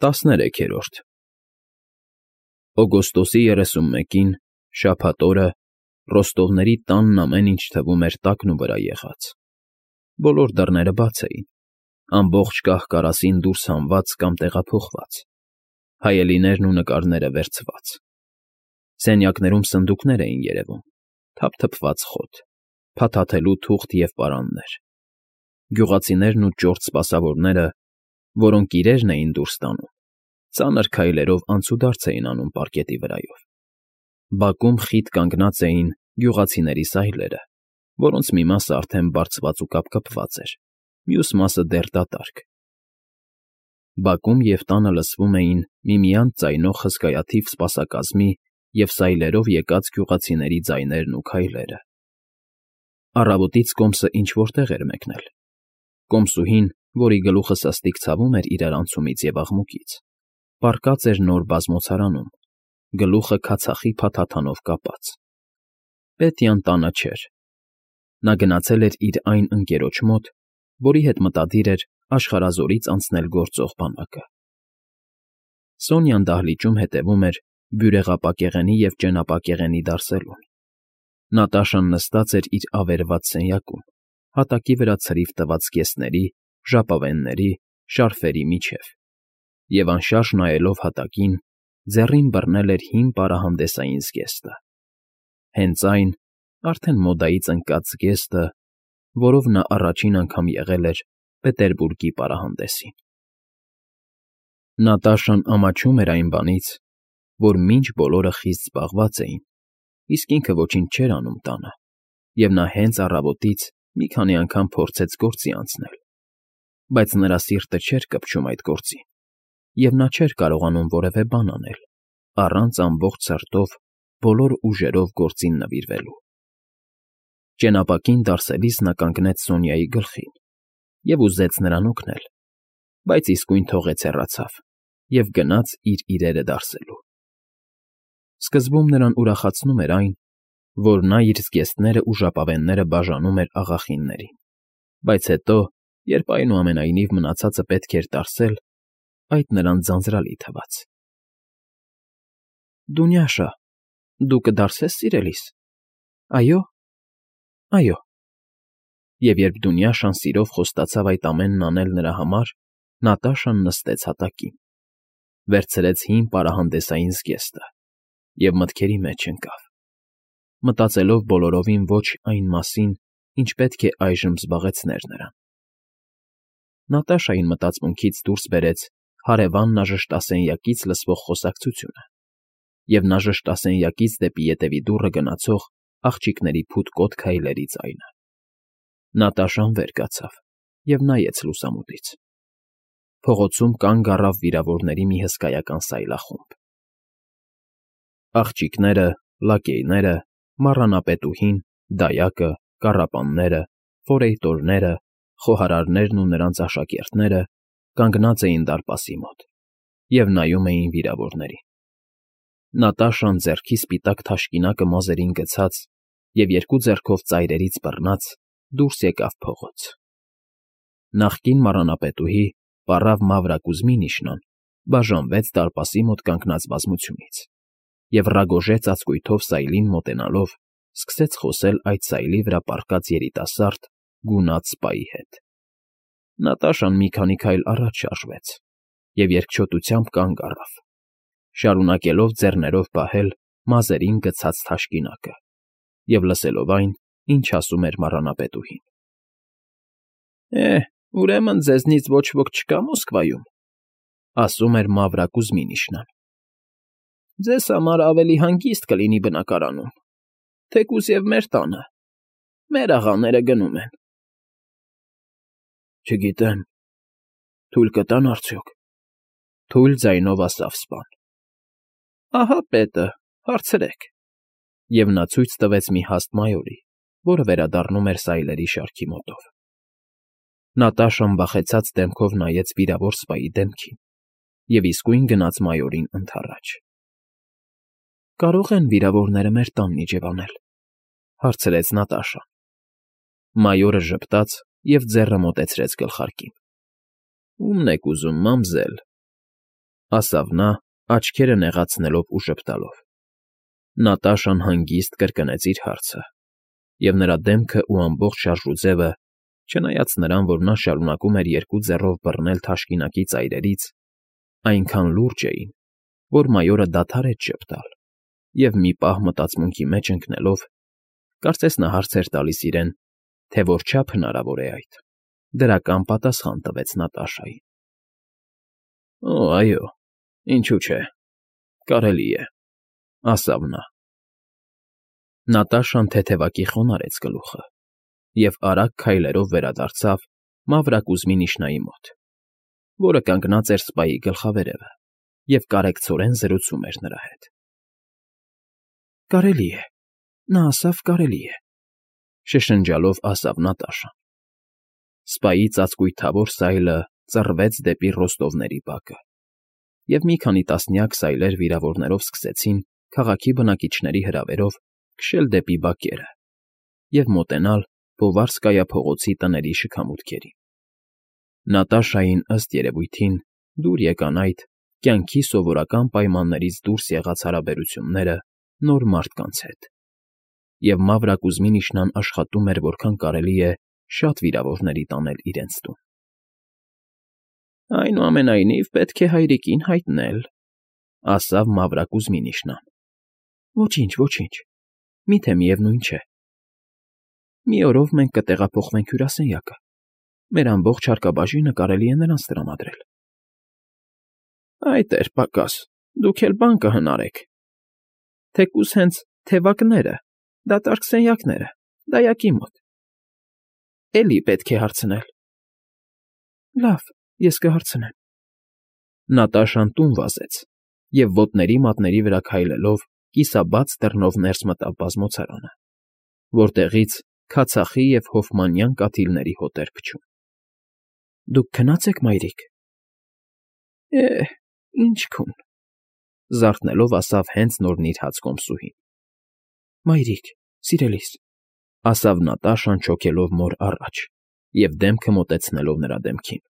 13-րդ Օգոստոսի 31-ին, շաբաթ օրը, Ռոստովների տանն ամեն ինչ թվում էր տակնու վրա եղած. բոլոր դռները բաց էին, ամբողջ կահ֊կարասին դուրս հանված կամ տեղափոխված, հայելիներն ու նկարները վերցված. սենյակներում սնդուկներ էին երևում, թափթփված խոտ, փաթաթելու թուղթ և պարաններ, գյուղացիներն ու ճորտ սպասավորները, որոնք իրերն էին դուրս տանում, ծանր քայլերով անցուդարձ էին անում պարկետի վրայով. բակում խիտ կանգնած էին գյուղացիների սայլերը, որոնց մի մասը արդեն բարձված ու կապկպված էր, մյուս մասը դեռ դատարկ. բակում և տանը լսվում էին միմյանց ձայնող հսկայաթիվ սպասակազմի և սայլերով եկած գյուղացիների ձայներն ու քայլերը. առավոտից կոմսը ինչ֊որ տեղ էր մեկնել. կոմսուհին, որի գլուխը սաստիկ ցավում էր իրարանցումից և աղմուկից, պառկած էր նոր բազմոցարանում, գլուխը քացախի փաթաթանով կապած. Պետյան տանը չէր. նա գնացել էր իր այն ընկերոջ մոտ, որի հետ մտադիր էր աշխարհազորից անցնել գործող բանակը. Սոնյան դահլիճում հետևում էր բյուրեղապակեղենի և ճենապակեղենի դարսելուն. Նատաշան նստած էր իր ավերված սենյակում, հատակի վրա ցրիվ տված զգեստների, ժապավենների, շարֆերի միջև, և անշարժ նայելով հատակին, ձեռին բռնել էր հին պարահանդեսային զգեստը. հենց այն, արդեն մոդայից ընկած զգեստը, որով նա առաջին անգամ եղել էր Պետերբուրգի պարահանդեսին. Նատաշան ամաչում էր այն բանից, որ մինչ բոլորը խիստ զբաղված էին, իսկ ինքը ոչինչ չէր անում տանը, և նա հենց առավոտից մի քանի անգամ փորձեց գործի անցնել, բայց նրա սիրտը չէր կպչում այդ գործին, և նա չէր կարողանում որևէ բան անել, առանց ամբողջ սրտով, բոլոր ուժերով գործին նվիրվելու. Ճենապակին դարսելիս նա կանգնեց Սոնյայի գլխին և ուզեց նրան օգնել, բայց իսկույն թողեց հեռացավ և գնաց իր իրերը դարսելու. սկզբում նրան ուրախացնում էր այն, որ նա իր զգեստներն ու ժապավենները բաժանում էր աղախիններին, բայց հետո, երբ այնուամենայնիվ մնացածը պետք էր դարսել, այդ նրան ձանձրալի թվաց. Դունյաշա, դու կդարսե՞ս սիրելիս։ Այո՞։ Այո։ Եվ երբ Դունյաշան սիրով խոստացավ այդ ամենն անել նրա համար, Նատաշան նստեց հատակին, վերցրեց հին պարահանդեսային զգեստը և մտքերի մեջ ընկավ, մտածելով բոլորովին ոչ այն մասին, ինչ պետք է այժմ զբաղեցներ նրան. Նատաշային մտածմունքից դուրս բերեց հարևան նաժշտասենյակից լսվող խոսակցությունը և նաժշտասենյակից դեպի ետևի դուռը գնացող աղջիկների փութկոտ քայլերի ձայնը. Նատաշան վեր կացավ և նայեց լուսամուտից. փողոցում կանգ առավ վիրավորների մի հսկայական սայլախումբ. աղջիկները, լակեյները, մառանապետուհին, դայակը, կառապանները, ֆորեյտորները, խոհարարներն ու նրանց աշակերտները կանգնած էին դարպասի մոտ և նայում էին վիրավորներին. Նատաշան ձեռքի սպիտակ թաշկինակը մազերին գցած և երկու ձեռքով ծայրերից բռնած դուրս եկավ փողոց. նախկին մառանապետուհի պառավ Մավրա Կուզմինիշնան բաժանվեց դարպասի մոտ կանգնած բազմությունից և ռագոժե ծածկույթով սայլին մոտենալով սկսեց խոսել այդ սայլի վրա պառկած երիտասարդ, գունատ սպայի հետ. Նատաշան մի քանի քայլ առաջ շարժվեց և երկչոտությամբ կանգ առավ, շարունակելով ձեռներով պահել մազերին գցած թաշկինակը և լսելով այն, ինչ ասում էր մառանապետուհին. ուրեմն ձեզնից ոչ ոք չկա Մոսկվայում, ասում էր Մավրա Կուզմինիշնան. ձեզ համար ավելի հանգիստ կլինի բնակարանում, թեկուզ և մեր տանը, մեր աղաները գնում են։ Չգիտեմ, թույլ կտա՞ն արդյոք, թույլ ձայնով ասավ սպան. ահա պետը, հարցրեք, և նա ցույց տվեց մի հաստ մայորի, որը վերադառնում էր սայլերի շարքի մոտով. Նատաշան վախեցած դեմքով նայեց վիրավոր սպայի դեմքին և իսկույն գնաց մայորին ընդառաջ։ Կարո՞ղ են վիրավորները մեր տանն իջևանել, հարցրեց Նատաշան. Մայորը ժպտաց և ձեռը մոտեցրեց գլխարկին. Ո՞ւմն եք ուզում, մամզել։ ասավ նա, աչքերը նեղացնելով ու ժպտալով։ Նատաշան հանգիստ կրկնեց իր հարցը, և նրա դեմքը ու ամբողջ շարժուձևը, չնայած նրան, որ նա շարունակում էր երկու ձեռով բռնել թաշկինակի ծայրերից, այնքան լուրջ էին, որ մայորը դադարեց ժպտալ և մի պահ մտածմունքի մեջ ընկնելով, կարծես նա հարց էր տալիս իրեն, թե որչափ հնարավոր է այդ, դրական պատասխան տվեց Նատաշային։ «Օ, այո, ինչու չէ, կարելի է», ասավ նա։ Նատաշան թեթևակի խոնարհեց գլուխը և արագ քայլերով վերադարձավ մավրակուզմի Նիշնայի մոտ, որը կանգնած էր սպայի գլխավերևը և կարեկցորեն զրուցում էր նրա հետ։ «Կարելի է, նա ասավ կարելի է», շշնջալով ասավ Նատաշան։ Սպայի ծածկույթավոր սայլը ծռվեց դեպի ռոստովների բակը, և մի քանի տասնյակ սայլեր վիրավորներով սկսեցին քաղաքի բնակիչների հրավերով քշել դեպի բակերը և մոտենալ Բովարսկայա փողոցի տների շքամուտքերին։ Նատաշային, ըստ երևույթին, դուր եկան այդ կյանքի սովորական պայմաններից դուրս եղած հարաբերությունները նոր մարդկանց հետ, և մավրակուզմի Նիշնան աշխատում էր որքան կարելի է շատ վիրավորների տանել իրենց տուն։ «Այնուամենայնիվ, պետք է հայրիկին հայտնել», ասավ մավրակուզմի Նիշնան։ «Ոչինչ, ոչինչ, միթե միևնույն չէ։ Մի օրով մենք կտեղափոխվենք հյուրասենյակը, մեր ամբողջ հարկաբաժինը կարելի է նրանց տրամադրել»։ «Այդ էր պակաս, դուք էլ բան կհնարեք։ Թեկուզ հենց թևակները, դատարկ սենյակները, դայակի մոտ։ Էլի պետք է հարցնել»։ «Լավ, ես կհարցնեմ»։ Նատաշան տուն վազեց և ոտների մատների վրա քայլելով կիսաբաց դռնով ներս մտավ բազմոցարանը, որտեղից քացախի և հոֆմանյան կաթիլների հոտ էր փչում։ «Դուք քնա՞ծ եք, մայրիկ»։ Ինչ քուն,֊ զարթնելով ասավ հենց նոր նիրհած կոմսուհին։ «Մայրիկ, սիրելիս», ասավ Նատաշան չոքելով մոր առաջ և դեմքը մոտեցնելով նրա դեմքին։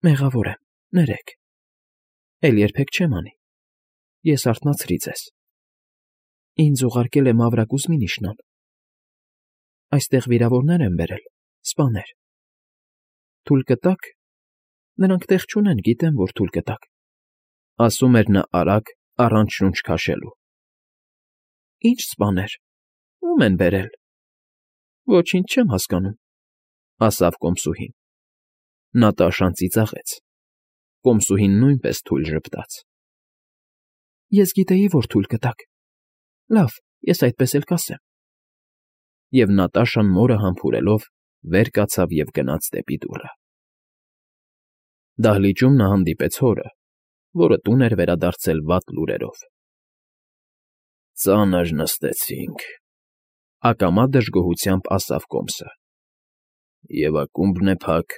«Մեղավոր եմ, ներեք։ Էլ երբեք չեմ անի։ Ես արթնացրի ձեզ։ Ինձ ուղարկել է մավրակուզմի Նիշնան։ Այստեղ վիրավորներ են բերել, սպաներ։ Թույլ կտա՞ք։ Նրանք տեղ չունեն, գիտեմ, որ թույլ կտաք», ասում էր նա արագ, առանց շունչ քաշելու։ «Ի՞նչ սպաներ, ո՞ւմ են բերել»։ «Ոչինչ չեմ հասկանում», ասավ կոմսուհին։ Նատաշան ծիծաղեց։ Կոմսուհին նույնպես թույլ ժպտաց։ «Ես գիտեի, որ թույլ կտաք։ Լավ, ես այդպես էլ կասեմ»։ Եվ Նատաշան մորը համբուրելով վեր կացավ և գնաց դեպի դուռը։ Դահլիճում նա հանդիպեց հորը, որը տուն էր վերադարձել վատ լուրերով։ «Ծանր նստեցինք,֊ ակամա դժգոհությամբ ասավ կոմսը,֊ և ակումբն է փակ,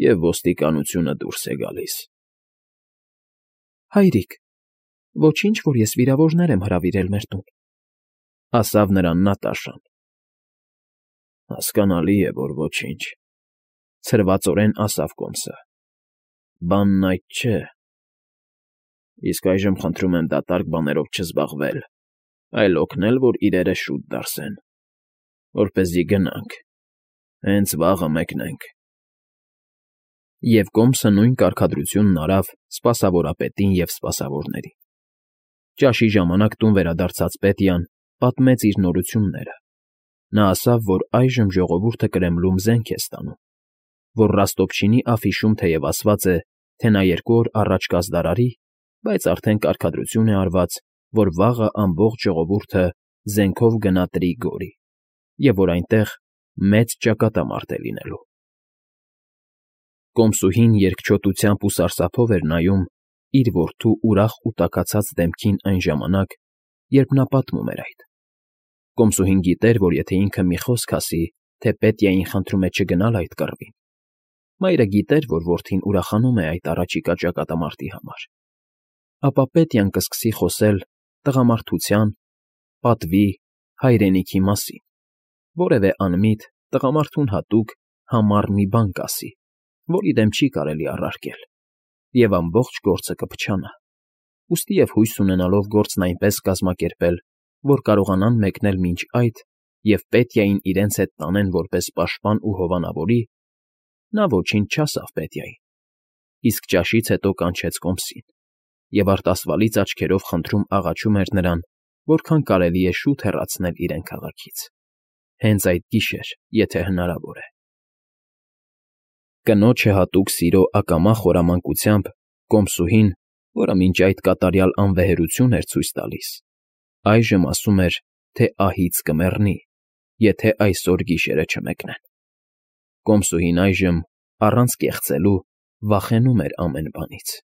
և ոստիկանությունը դուրս է գալիս»։ «Հայրիկ, ոչինչ, որ ես վիրավորներ եմ հրավիրել մեր տուն», ասավ նրան Նատաշան։ «Հասկանալի է, որ ոչինչ,֊ ցրվածորեն ասավ կոմսը,֊ բանն այդ չէ։ Իսկ այժմ խնդրում եմ դատարկ բաներով չզբաղվել, այլ օգնել, որ իրերը շուտ դարսեն, որպեսզի գնանք, հենց վաղը մեկնենք»։ Եվ կոմսը նույն կարգադրությունն արավ սպասավորապետին և սպասավորներին։ Ճաշի ժամանակ տուն վերադարձած Պետյան պատմեց իր նորությունները։ Նա ասավ, որ այժմ ժողովուրդը Կրեմլում զենք է ստանում, որ Ռոստովչինի աֆիշում թեև ասված է, թե նա 2 օր առաջ կազդարարի, բայց արդեն կարգադրություն է արված, որ վաղը ամբողջ ժողովուրդը զենքով գնա Տրիգորի, և որ այնտեղ մեծ ճակատամարտ է լինելու։ Կոմսուհին երկչոտությամբ ու սարսափով էր նայում իր որդու ուրախ ու տաքացած դեմքին այն ժամանակ, երբ նա պատմում էր այդ։ Կոմսուհին գիտեր, որ եթե ինքը մի խոսք ասի, թե Պետյային խնդրում է չգնալ այդ կռվին, մայրը գիտեր, որ որդին ուրախանում է այդ առաջիկա ճակատամարտի համար, ապա Պետյան կսկսի խոսել տղամարդության, պատվի, հայրենիքի մասին, որևէ անմիտ, տղամարդուն հատուկ, համառ մի բան կասի, որի դեմ չի կարելի առարկել, և ամբողջ գործը կփչանա, ուստի և հույս ունենալով գործն այնպես կազմակերպել, որ կարողանան մեկնել մինչ այդ և Պետյային իրենց հետ տանեն որպես պաշտպան ու հովանավորի, նա ոչինչ չասավ Պետյային, իսկ ճաշից հետո կանչեց կոմսին և արտասվալից աչքերով խնդրում աղաչում էր նրան, որքան կարելի է շուտ հեռացնել իրեն քաղաքից, հենց այդ գիշեր, եթե հնարավոր է։ Կնոջը հատուկ սիրո ակամա խորամանկությամբ կոմսուհին, որը մինչ այդ կատարյալ անվեհերություն էր ցույց տալիս, այժմ ասում էր, թե ահից կմեռնի, եթե այսօր գիշերը չմեկնեն։ Կոմսուհին այժմ, առանց կեղծելու, վախենում էր ամեն բանից։